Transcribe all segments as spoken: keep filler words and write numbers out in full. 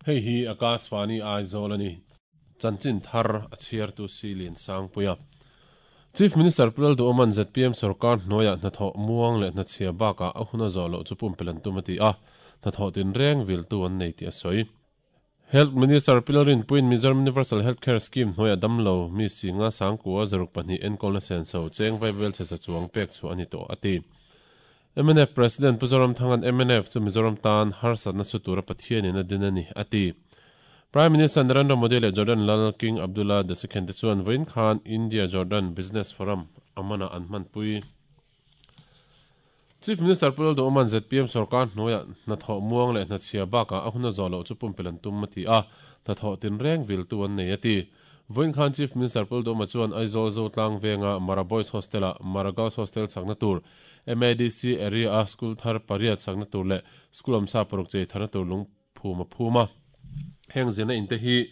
Hei hi Akashvani Aizawl ani. Chanchin thar a chhiar tu si lian sang puia. Chief Minister Pulal Du Oman Z P M Sarkar hnuaiah hnathawh muang leh hnachhia bakah a hun a zawh loh chu pumpelan tum a ti a, hnathawh tin reng vil tu an nei tih a sawi. Health Minister Pilarin Puin Mizoram Universal Healthcare Scheme hnuaiah damlo mi singa sangkua zaruk pahnih enkawl na senso cheng vaivel che sa chuang pek chu ani tawh a ti. M N F President Puzoram Thangan M N F chu Mizoram tan harsatna su tura Pathianin a din ani a ti. Prime Minister Narendra Modi leh Jordan Lal King Abdullah the Second te chuan vawiin khan India Jordan Business Forum amana an hmanpui. Chief Minister Pulal Du Oman Z P M Sarkar hnuaiah hnathawh muang leh hnachhia bakah a hun a zawh loh chu pumpelan tum a ti a, hnathawh tin reng vil tu an nei a ti. Vawiin khan Chief Minister Pulal Du Oma chuan Aizawl Zotlang venga Mara Boys Hostel-a Mara Girls Hostel chakna tur M A D C area a school thar pariat chakna tur leh school awmsa paruk chei tharna tur lung phum a phum a. Heng zirna inte hi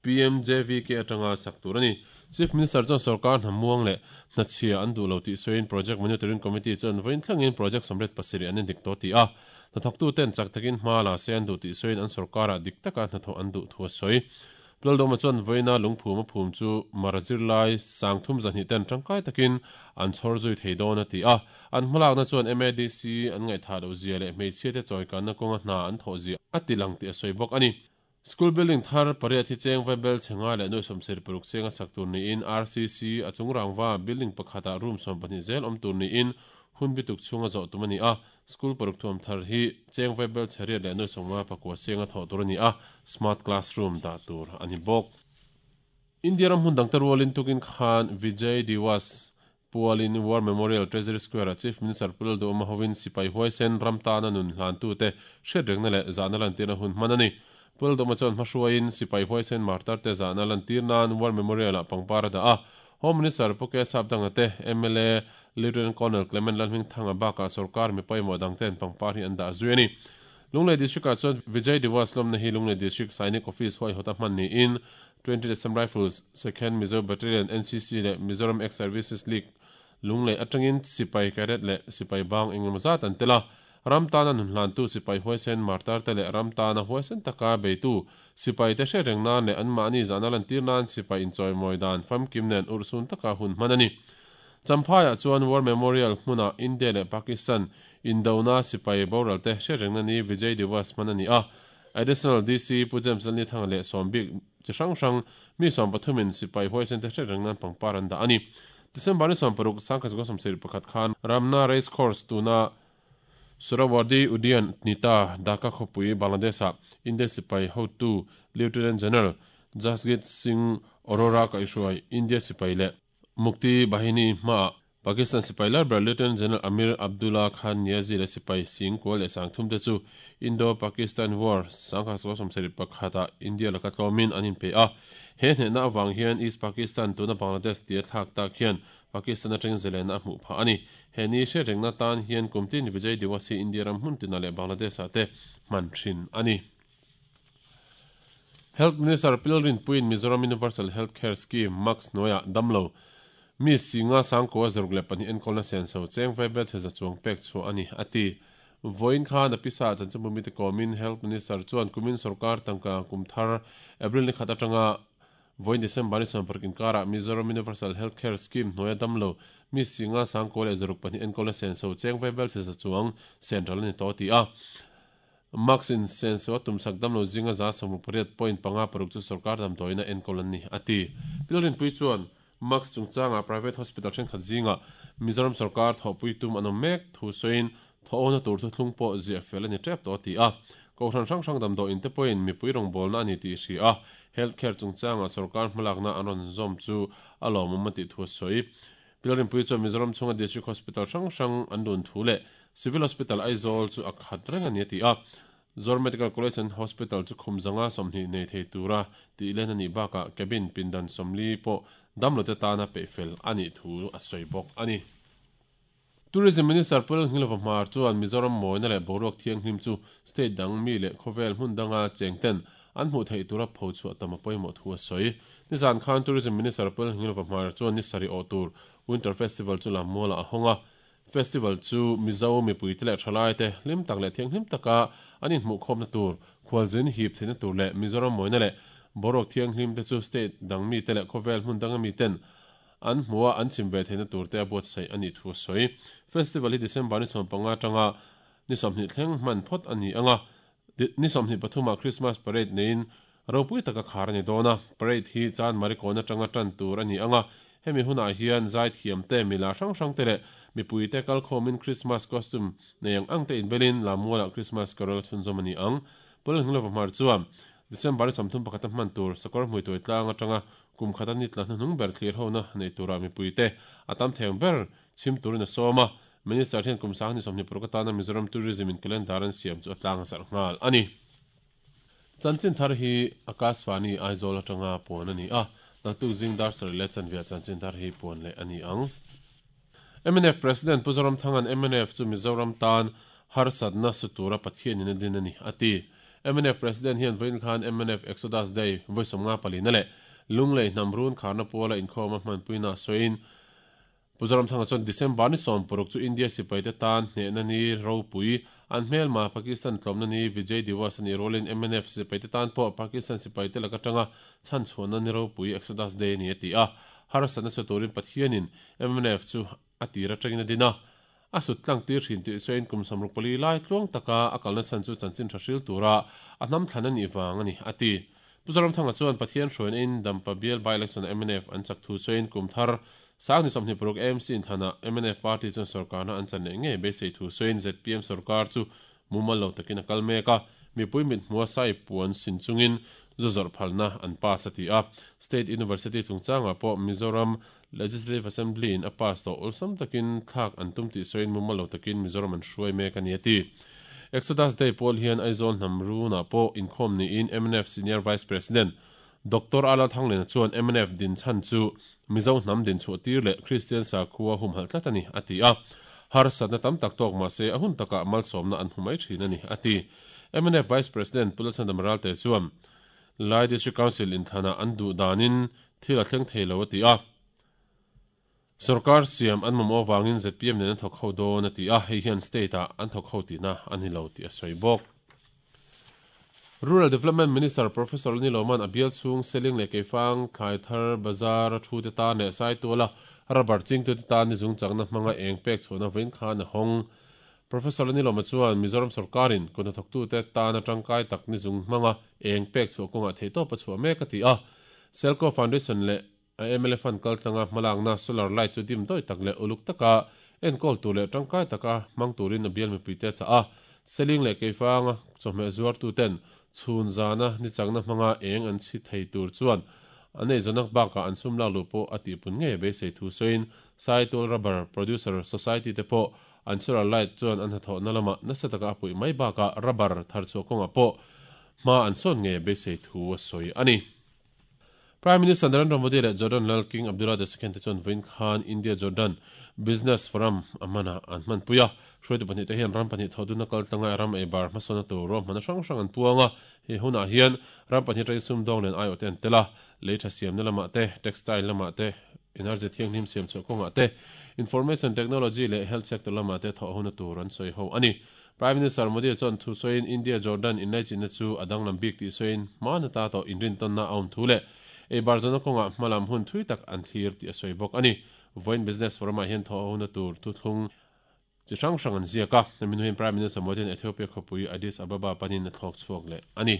P M J V K atanga sak tur ani. Chief Minister chuan Sarkar hna muang leh hnachhia an duh lo tih sawiin Project Monitoring Committee chuan vawiin thlengin project sawmriat pasarih an indik tawh ti a. Hnathawktu ten chak takin hma la se an duh tih sawiin an sarkarah dik taka hnathawh an duh thu a sawi. Pulal Du Oma chuan vawiina lungphum a phum chu Mara zirlai sangthum zahnih ten tangkai takin an chhawr zui thei dawn a ti a. An hmalakna chuan M A D C an ngaihthah loh zia leh hmeichhia te chawikanna kawnga hna an thawh zia a ti lang tih a sawi bawk ani. School building thar pariat hi cheng vaibel chenga leh nuai sawmsarih paruk chenga sak tur niin R C C a chung rangwa building pakhata room sawm pahnih zel awm tur niin hun bituk chhunga zawh tum ani a. School paruk thuam thar hi cheng vaibel chheriat leh nuai sawmnga pakua chenga thawh tur ani a, smart classroom dah tur ani bawk. India ram hun dang te rualin tukin khan Vijay Diwas Pualin War Memorial Treasury Square a Chief Minister Pulal Du Oma hovin sipai huaisen ramtana nun hlan tu te hriat rengna leh zahna lantirna hun hman ani. Pulal Du Oma chuan hmahruaiin sipai huaisen martar te zahna lantir nan War Memorial a pangpar a dah a. Home Minister Puke Sapdanga te M L A Lieutenant Colonel Clement Lalhming Thanga baka sarkar mi pawimawh dang ten pangpar hi an dah zui ani. Lunglei District ah chuan Vijay Diwas lawmna hi Lunglei District Sainik Office huai hawta hman niin twenty Assam Rifles Second Mizo Battalion N C C leh Mizoram Ex Services League Lunglei atangin sipai cadet leh sipai bang engemaw zat an tel a. Ramtana nun hlan tu sipai huaisen martar te leh ramtana huaisen taka beitu sipai te hre reng nan leh an mahni zahna lantir nan sipai inchawimawi dan famkim nen urhsun taka hun hman ani. Champhaiah chuan War Memorial hmuna India leh Pakistan Indona sipai boral te hre reng na ni Vijay Diwas hman ani a. Additional D C Pu James Lalni Thanga leh sawmbik chi hrang hrang mi sawm pathumin sipai huaisen te hre reng nan pangpar an dah ani. December ni sawm paruk sangkhat zakua sawmsarih pakhat khan Ramna Race Course tuna Suhrawardy Udyan Nita Dhaka khawpui Bangladesh ah India sipai hotu Lieutenant General Jasjit Singh Arora kaihruai India sipai leh Mukti Bahini hma Pakistan sipai larber Lieutenant General Amir Abdullah Khan Niazi leh sipai Singh kual leh sangthum te chu Indo-Pakistan War sangkhat zakua sawmsarih pakhata India laka tlawmin an inpe a. He hnehna awang hian East Pakistan tuna Bangladesh tia thlak tak hian Pakistan atang zelena a hmuh phah ani. He ni hre rengna tan hian kumtin Vijay Diwas hi India ram hmun tina leh Bangladesh ah te hman thin ani. Health Minister Pilarin Puin Mizoram Universal Healthcare Scheme Max hnuaiah damlo mi singa sangkua zaruk leh pahnih enkawlna senso cheng vaibel chhe chuang pek chu ani ati. Vawiin khan a pisa chanchinbu mi te kawmin Health Minister chuan kumin sarkar tangka kum thar April ni khat atanga vawiin December ni sawm paruk inkarah Mizoram Universal Healthcare Scheme hnuaia damlo mi singa sangkua leh zaruk pahnih enkawlna senso cheng vaibel chhe chuang central ani tawh ti a. Max in senso a tumsak damlo zinga za sawmruk pariat point panga paruk chu sarkar damdawiina enkawl an ni ati. Pilarin Pui chuan Max chungchanga private hospital thenkhat zinga Mizoram sarkar thawhpui tum an awm mek thu sawiin thawhawna tur thu thlung pawh ziah fel ani tep tawh ti a. Kohhran hrang hrang damdawiin te pawhin mipui rawngbawlna ani tih hri a. Healthcare chungchanga sarkar hmalakna an rawn zawm chu a lawmawm a tih thu a sawi. Pilarin Pui chuan Mizoram chhunga District Hospital hrang hrang an dun thu leh Civil Hospital Aizawl chu a khat reng ani a ti a. Zor Medical College and Hospital chu khum zanga sawmhnih nei thei tura tih len ani bakah cabin pindan sawmli pawh damlo te tana peihfel ani thu a sawi bawk ani. Tourism Minister Pulal Nghilova Hmar chuan Mizoram mawina leh boruak thianghlim chu state dang mi leh khawvel hmun danga cheng ten an hmuh theih tura pho chhuah tam a pawimawh thu a sawi. Nizan khan Tourism Minister Pulal Nghilova Hmar chuan ni sarih awh tur Winter Festival chu lam mualah a hawng a. Festival chu Mizo mipui te leh thalai te hlim tak leh thianghlim taka an inhmuh khawmna tur khualzin hip theihna tur leh Mizoram mawina leh boruak thianghlim te chu state dang mi te leh khawvel hmun danga mi ten an hmua an chim ve theihna tur te a buatsaih a nih thu a sawi. Festival hi December ni sawm panga atanga ni sawmhnih thleng hman phawt a ni anga ni sawmhnih pathuma Christmas parade neiin ropui taka khar a ni dawn a. Parade hi chan marikawn atanga tan tur a ni anga hemi hunah hian zai thiam te mila hrang hrang te leh mipui te kalkhawmin Christmas costume nei ang ang te inbelin lamualah Christmas carol chhunzawm a ni ang. Pawlhngilova hmar chuan December ni sawmthum pakhata hman tur sakawr hmuituai tlang atanga kum khata ni tla hnuhnung ber thlir hona nei tura mipui te a tam theng ber chhim turin a sawm a. Minister hian kum sang ni sawmhnih paruk atana Mizoram Tourism in calendar an siam chu a tlang a zarh nghal a ni. Chanchin thar hi Akashvani Aizawl atanga puan a ni a. Naktuk zing dar sarih leh chanvia chanchin thar hi puan leh a ni ang. M N F President Pu Zoramthanga'n M N F chu Mizoram tan harsatna sutura Pathianin a din a ni a ti. M N F President hian vawiin khan M N F Exodus Day vawi sawmnga palina leh Lunglei hnamrun kharna puala inkhawm a hmanpuina sawiin Pu Zoramthanga chuan December ni sawm paruk chu India sipai te tan hnehna ni ropui an hmelma Pakistan tlawmna ni Vijay Diwas ani rolin M N F sipai te tan pawh Pakistan sipai te laka tanga chhan chhuahna ni ropui Exodus Day ni a ti a. Harsatna suturin Pathianin M N F chu a tira tangin a din a. A sut tlang tir thin tih sawiin kum samruk pali lai tluang taka a kalna chan chu chanchin tha hril tura a hnam thlan a nih vang a ni a ti. Pu Zoramthanga chuan Pathian hruaina in Dampa bial by election M N F an chak thu sawiin kum thar sang ni sawmhnih paruk A M C inthana M N F party chuan sarkarna an chan leh ngei beisei thu sawiin Z P M sarkar chu mumal lo takin a kal mek a. Mipui mit hmua sai puan sin chungin zu zawrh phalna an pass a ti a. State University chungchangah pawh Mizoram Legislative Assembly in a pass tawh awlsam takin thlak an tum tih sawiin mumal lo takin Mizoram an hruai mek a ni a ti. Exodus Day pawl hian Aizawl hnamrunah pawh inkhawm niin M N F Senior Vice President Doctor Ala Thanglena chuan M N F din chan chu Mizo hnam din chhuah tir leh Christian sakhua humhalh tlat a ni a ti a. Harsatna tam tak tawk mahse a hun takah malsawmna an hmu mai thin a ni a ti. M N F Vice President Pu Lalchhandam Ralte chuan Lai District Council inthlanah an duh danin thil a thleng thei lo a ti a. Sarkar siam an mamawh wangin Z P M nen an thawk ho dawn a ti a. Hei hian state ah an thawk ho tihna a ni lo tih a sawi bawk. Rural Development Minister Professor Ni Loman a bial chung seling leh keifang thlai thar bazar a thu te tan leh sai tuala rubber ching tu te tan ni zung chakna hmanga eng pek chhuahna vawiin khan a hawng. Professor Ni Loma chuan Mizoram sarkarin kut hnathawk tu te tan atangkai tak ni zung hmanga eng pek chhuah kawngah thei tawp a chhuah mek a ti a. Selco Foundation leh M L A fund kaltlanga hmalakna solar light chu dim dawih tak leh uluk taka enkawl tur leh tangkai taka hmang turin a bial mipui te cha a. Seling leh keifanga chawhmeh zuar tu ten chhun zana ni chakna hmanga eng an chhi thei tur chuan an ei zawnak bakah an sum lak lu pawh a tihpun ngei beisei thu sawiin Saitul Rubber Producer Society te pawh an solar light chuan an hnathawhna lamah nasa taka a puih mai bakah rubber thar chhuah kawngah pawh hma an sawn ngei beisei thu a sawi a ni. Prime Minister Narendra Modi leh Jordan Lal King Abdullah the Second te chuan vawiin khan India Jordan Business Forum a hmana an hmanpui a. Hruaitu pahnih te hian ram pahnih thawhduna kaltlanga ram ei bar hmasawna tur ruahmana hrang hrang an puang a. He hunah hian ram pahnih atangin sumdawng len aiawh te an tel a. Lei tha siamna lamah te, textile lamah te, energy thianghlim siam chhuah kawngah te, information technology leh health sector lamah te thawh hona tur an sawi ho a ni. Prime Minister Modi chuan thu sawiin India Jordan inlaichinna chu a danglam bik tih sawiin hmana ta tawh inrintawnna a awm thu leh ei bar zawna kawngah hmalam hun thui tak an thlir tih a sawi bawk a ni. Vawiin Business Forum ah hian thawh hona tur thuthlung chi hrang hrang an ziak a. Hemi hnuaiin Prime Minister Modi hian Ethiopia khawpui Addis Ababa panin a thlawk chhuak leh a ni.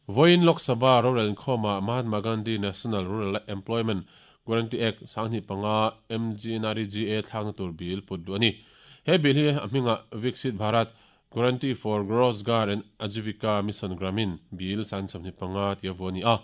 Vawiin Lok Sabha rorel inkhawmah Mahatma Gandhi National Rural Employment Guarantee Act sanghnih panga M G N R E G A thlakna tur bil put duh a ni. He bil hi a hmingah Viksit Bharat Guarantee for Rozgar and Ajivika Mission Gramin bil sang sawmhnih panga tia vu a ni a.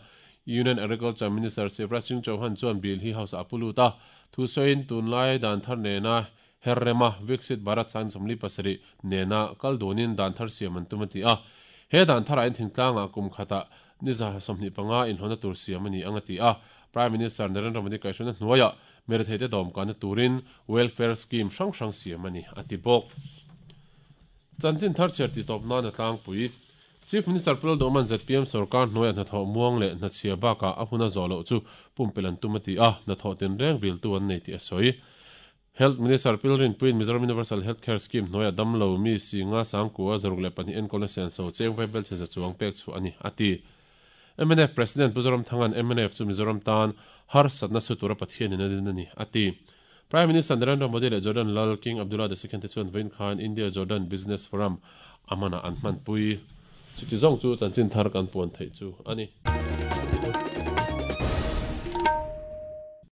Union Agriculture Minister Shivraj Singh Chauhan chuan bil hi house a pulut a. Thu sawiin tunlai dan thar nena herrema Viksit Bharat sang sawmli pasarih nena kal dunin dan thar siam an tum a ti a. He dan thar a in thingtlangah kum khata ni za sawmhnih panga inhlawhna tur siam a ni ang a ti a. Prime Minister Narendra Modi kaihhruaina hnuaiah mirethei te dawmkana turin welfare scheme hrang hrang siam a ni a ti bawk. Chanchin thar chhiar ti tawp nan a tlangpui. Chief Minister Pu Lalduhoma'n Z P M sarkar hnuaiah hnathawh muang leh hnachhia bakah a huna zawh loh chu pumpelh an tum a ti a. Hnathawh tinreng viltu an nei tih a sawi. Health Minister Pilrin Puin Mizoram Universal Healthcare Scheme hnuaia damlo mi singa sangkua zaruk leh pahnih enkawlna senso cheng vai bel chhe za chuang pek chu ani ati. M N F President Pu Zoramthangan M N F chu Mizoram tan harsatna su tura Pathian in a din ani ati. Prime Minister Narendra Modi leh Jordan Lal King Abdullah the Second te chuan vawiin khan India Jordan Business Forum amana an hman pui. Chuti zawng chu chanchin thar kan puan theih chu ani.